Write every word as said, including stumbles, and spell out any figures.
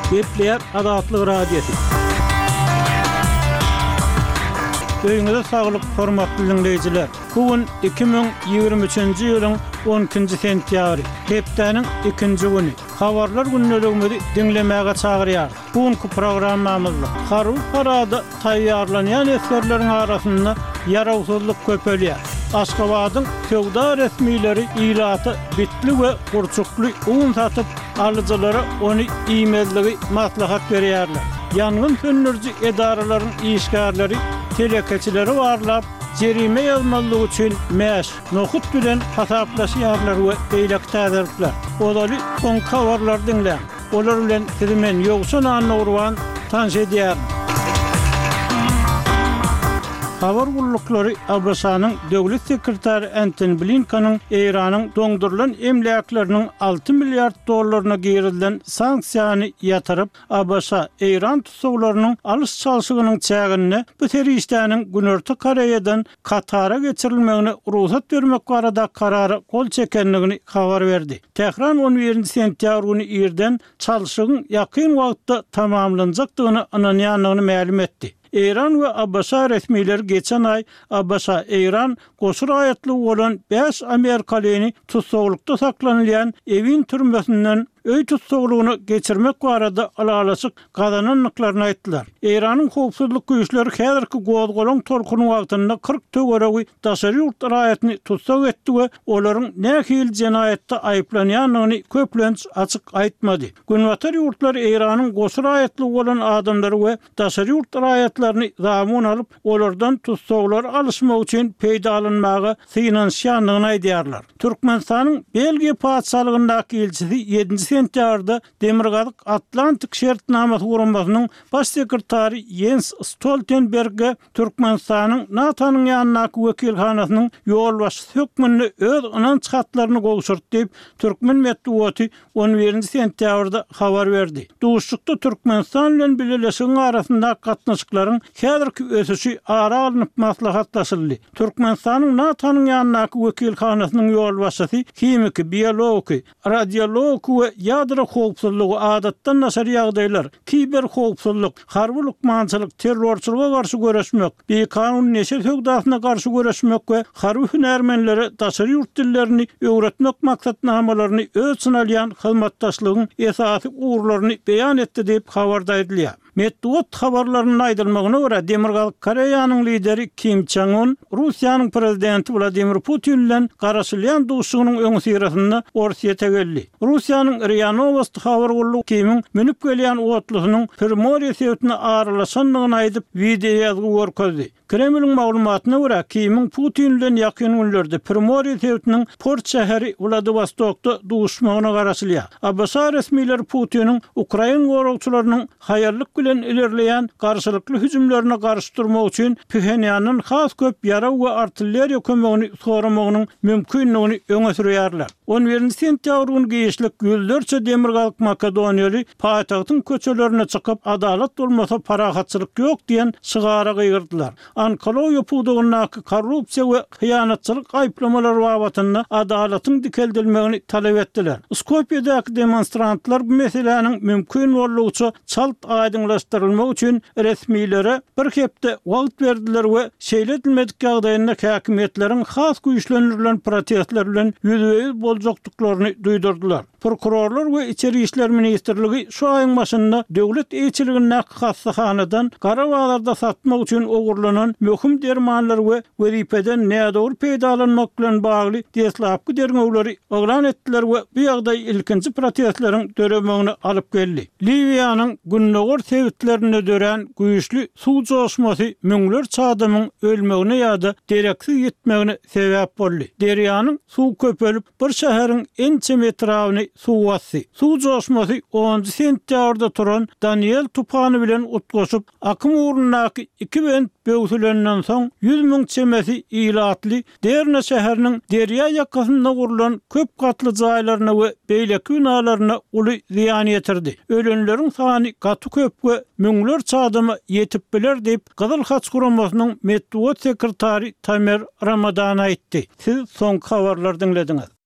Gepleýär Azatlyk Radiosy. Öýüňize saglyk, hormatly diňleýjiler! Bu gün iki müň ýigrimi üçünji ýylyň on ikinji sentýabry, hepdäniň ikinji güni. Habarlar gündeligimizi diňlemäge çagyrýarys. Bu günki programmamyzda harby parada taýýarlanýan esgerleriň arasynda ýarawsyzlyk köpelýär. Aşgabadyň söwda resmileri ilata bitli we gurçukly un satyp, alyjylara ony iýmezligi maslahat berýärler. Ýangyn söndüriji edaralaryň işgärleri telekeçileri barlap, jerime ýazmazlyk üçin mäş, nohut bilen hasaplaşýarlar we beýleki täzelikler. Ozaly soňky habarlary diňläň. Olar bilen sizi men, Ýowşan Annagurban, tanyş edýärin. Habar gulluklary ABŞ-nyň Döwlet sekretary Entoni Blinkeniň Eýranyň doňdurylan emläkleriniň alty milliard dollaryna girizilen sanksiýany ýatyryp, ABŞ, Eýran tussaglarynyň alyş-çalşygynyň çäginde bu serişdäniň Günorta Koreýadan Katara geçirilmegine rugsat bermek barada karara gol çekendigini habar berdi. Tähran on birinji sentýabr güni irden çalşygyň ýakyn wagtda tamamlanjakdygyna ynanýandygyny mälim etdi. Eýran we ABŞ resmileri geçen aý ABŞ, Eýran goşa raýatlygy bolan bäş amerikalyny tussaglykda saklanylýan Ewin türmesinden öý tussaglygyna geçirmek barada ylalaşyk gazanandyklaryny aýtdylar. Eýranyň howpsuzlyk güýçleri häzirki gozgalaň tolkuny wagtynda kyrk töweregi daşary ýurt raýatyny tussag etdi we olaryň nähili jenaýatda aýyplanýandygyny köplenç açyk aýtmady. Günbatar ýurtlary Eýranyň goşa raýatlygy bolan adamlary we daşary ýurt raýatlaryny zamun alyp, olardan tussaglary alyşmak üçin peýdalanmaga synanyşýandygyny aýdýarlar. Türkmenistanyň Belgiýa Patyşalygyndaky ilçisi ýedinji sentýabrda Demirgazyk Atlantik Şertnamasy Guramasynyň Baş sekretary Ýens Stoltenberge Türkmenistanyň NATO-nyň ýanyndaky wekilhanasynyň ýolbaşçysy hökmünde öz ynanç hatlaryny gowşurdy diýip, türkmen metbugaty on birinji sentýabrda habar berdi. Duşuşykda Türkmenistan bilen Bileleşigiň arasyndaky gatnaşyklaryň häzirki ösüşi ara alnyp maslahatlaşyldy. Türkmenistanyň NATO-nyň ýanyndaky wekilhanasynyň ýolbaşçysy himiki, biologiki, radiologiki we ýadro howpsuzlygy, adatdan daşary ýagdaýlar, kiberhowpsuzlyk, harby lukmançylyk, terrorçylyga garşy göreşmek, bikanun neşe söwdasyna garşy göreşmek we harby hünärmenlere daşary ýurt dillerini öwretmek maksatnamalaryny öz içine alýan hyzmatdaşlygyň esasy ugurlaryny beýan etdi diýip, habarda aýdylýar. Metbugat habarlarynda aýdylmagyna görä, Demirgazyk Koreýanyň lideri Kim Çen Un Russiýanyň prezidenti Wladimir Putin bilen garaşylýan duşuşygynyň öňüsyrasynda Orsýete geldi. Russiýanyň RIA Nowosti habar gullugy Kimiň münüp gelýän otlusynyň Primorýe sebitine aralaşandygyny aýdyp, wideoýazgy görkezdi. Kremliň maglumatyna görä, Kimiň Putin bilen ýakyn günlerde Primorýe sebitiniň port şäheri Wladiwostokda duşuşmagyna garaşylýar. ABŞ resmileri Putiniň ukrain goragçylarynyň haýallyk bilen ilerleýän garşylykly hüjümlerine garşy durmak üçin Phenýandan has köp ýarag we artilleriýa kömegini soramagynyň mümkindigini öňe sürýärler. On birinji sentýabr güni giçlik ýüzlerçe demirgazyk makedoniýaly paýtagtyň köçelerine çykyp, Adalat bolmasa parahatçylyk ýok diýen şygara gygyrdylar. Onkologiýa pudagyndaky korrupsiýa we hyýanatçylyk aýyplamalary babatynda adalatyň dikeldilmegini talap etdiler. Skopýedäki demonstrantlar bu meseläniň mümkin boldugyça çalt aýdyňlaşdyrylmagy üçin resmilere bir hepde wagt berdiler we şeýle edilmedik ýagdaýynda häkimiýetleriň has güýçlendirilen protestler bilen ýüzbe-ýüz boljakdyklaryny duýdurdylar. Prokurorlar we Içeri işler ministrligi şu aýyň başynda döwlet eýeçiligindäki hassahanadan gara bazarda satmak üçin ogurlanan möhüm dermanlary we wezipeden nädogry peýdalanmak bilen bagly deslapky derňewleri yglan etdiler we bu ýagdaý ilkinji protestleriň döremegine alyp geldi. Liwiýanyň gündogar sebitlerinde dörän güýçli suw joşmasy müňlerçe adamyň ölmegine ýa-da dereksiz ýitmegine sebäp boldy. Derýanyň suw köpelip, bir şäheriň ençeme etrabyny suw basdy. Suw joşmasy onunjy sentýabrda turan Daniel tupany bilen utgaşyp, akym ugrundaky iki bent böwsülenden soň, ýüz müň çemesi ilatly Derna şäheriniň derýa ýakasynda gurlan köp gatly jaýlaryna we beýleki binalaryna uly zyýan ýetirdi. Ölenleriň sany gaty köp we müňlerçe adama ýetip biler diýip, Gyzyl Haç guramasynyň metbugat sekretary Tamer Ramadan aýtdy. Siz soňky habarlary diňlediňiz.